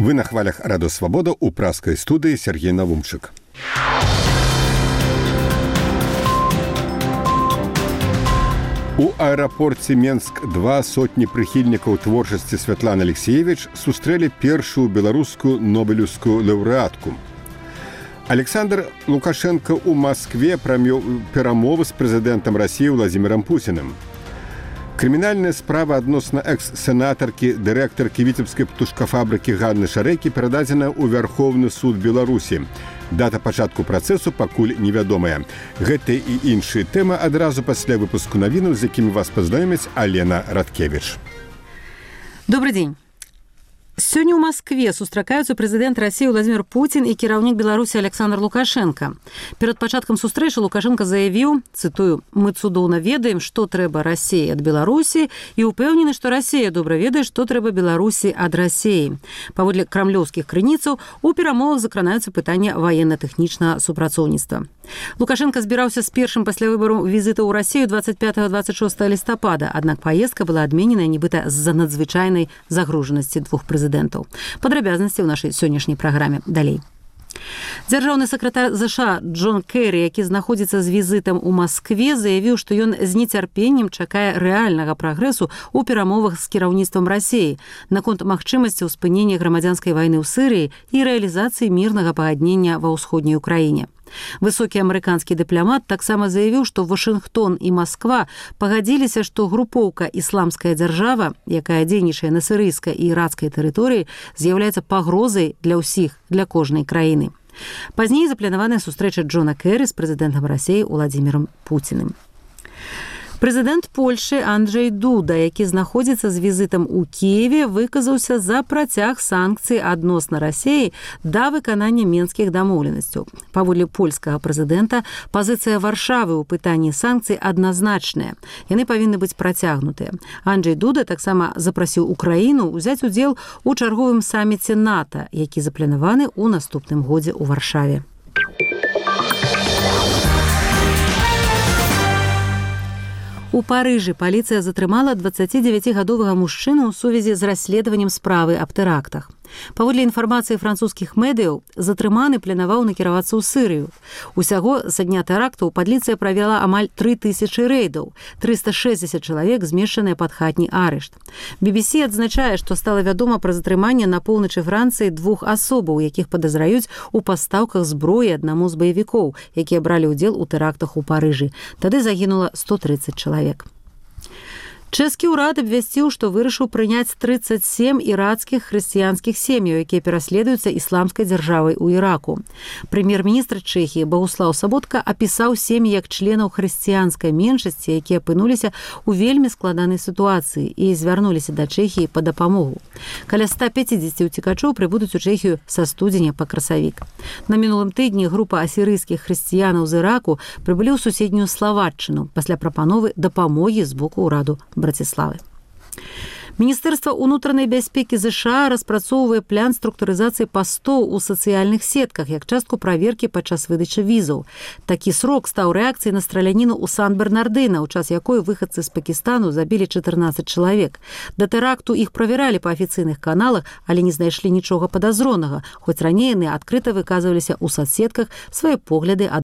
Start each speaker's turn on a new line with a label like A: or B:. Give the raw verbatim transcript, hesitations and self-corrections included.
A: Вы на хвалях Радио Свобода у пражской студии Сергей Навумчик. У аэрапорце Менск-два сотні прыхільнікаў творчасці Святланы Алексеевич сустрэлі першую беларускую нобелеўскую лаўрэатку. Александр Лукашенко у Москве прамёў перамовы з прэзідэнтам России Владимиром Путиным. Крымінальная справа адносна экс-сенатаркі, дырэктаркі віцебскай птушкафабрыкі Ганны Шарэкі перададзена ў Вярхоўны суд Беларусі. Дата пачатку працэсу пакуль невядомая. Гэта і іншыя тэмы адразу пасля выпуску навінаў, з якімі вас пазнаёміць Алена Радкевич.
B: Добрый день. Сёння ў Москве сустракаюцца прэзідэнт России Владимир Путин і кіраўнік Беларусі Александр Лукашенко. Перад пачаткам сустрэчы Лукашенко заявіў, цытую, «Мы цудоўна ведаем, што трэба России ад Беларусі і ўпэўнены, што Россия добра ведае, што трэба Беларусі ад России». Паводле крамлёўскіх крыніцаў, у перамовах закранаюцца пытанні ваенна-тэхнічнага супрацоўніцтва. Лукашенко збіраўся з першым пасля выбару візіта ў Россию двадцать пятого - двадцать шестого лістапада, аднак паездка была адменена нібыта з-за надзвычайнай загружанасці двух прэзідэнтаў. Падрабязнасці ў нашай сённяшняй праграме далей. Дзяржаўны сакратар ЗША Джон Керри, які знаходзіцца з візітам у Москве, заявіў, што ён з нецярпеннем чакае рэальнага прагрэсу ў перамовах з кіраўніцтвам России наконт магчымасцяў спынення грамадзянскай вайны ў Сырыі і рэалізацыі мірнага пагаднення ва ўсходняй Украіне. Высокі амерыканскі дыпламат таксама заявіў, што Вашынгтон і Москва пагадзіліся, што групоўка «Ісламская дзяржава», якая дзейнічае на сірыйскай і іракскай тэрыторыі, з'яўляецца пагрозай для ўсіх, для кожнай краіны. Пазней запланаваная сустрэча Джона Керри з прэзідэнтам России Владимиром Путиным. Прэзідэнт Польшы Анджэй Дуда, які знаходзіцца з візітам у Кіеве, выказаўся за працяг санкцый адносна России да выканання менскіх дамоўленасцяў. Паводле польскага прэзідэнта, пазіцыя Варшавы ў пытанні санкцый адназначная. Яны павінны быць працягнутыя. Анджэй Дуда таксама запрасіў Украіну ўзяць удзел у чарговым саміце НАТО, які запланаваны ў наступным годзе ў Варшаве. У Парыжы паліцыя затрымала дваццацідзевяцігадовага мужчыну ў сувязі з расследаваннем справы аб тэрактах. Паводле інфармацыі французскіх медыяў, затрыманы планаваў накіравацца ў Сырыю. Усяго са дня тэрактаў паліцыя правяла амаль тры тысячы рэйдаў, трыста шэсцьдзесят чалавек змешчаныя пад хатні арышт. би би си адзначае, што стала вядома пра затрыманне на поўначы Францыі двух асобаў, якіх падазраюць у пастаўках зброі аднаму з баевікоў, якія бралі ўдзел у тэрактах у Парыжы. Тады загінула сто трыццаць чалавек. Чэшскі ўрад абвясціў, што вырашыў прыняць трыццаць сем ірацкіх хрысціянскіх сем'яў, якія пераследуюцца ісламскай дзяржавай у Іраку. Прэм'ер-міністр Чэхіі Багуслаў Саботка апісаў сем'і як членаў хрысціянскай меншасці, якія апынуліся ў вельмі складанай сітуацыі і звярнуліся да Чэхіі па дапамогу. Каля ста пяцідзесяці ўцекачоў прыбудуць у Чэхію са студзеня па красавік. На мінулым тыдні група асірыйскіх хрысціянаў з Іраку прыбылі ў суседнюю Славаччыну пасля прапановы дапамогі з боку ўраду Братиславы. Міністэрства ўнутранай бяспекі ЗША распрацоўвае план структурызацыі пастоў у сацыяльных сетках як частку праверкі падчас выдачы візаў. Такі срок стаў рэакцыяй на страляніну ў Сан-Бернардына, у час якой выхадцы з Пакістану забілі чатырнаццаць чалавек. Да тэракту іх правяралі па афіцыйных каналах, але не знайшлі нічога падазронага, хоць раней яны адкрыта выказваліся ў сацсетках свае погляды ад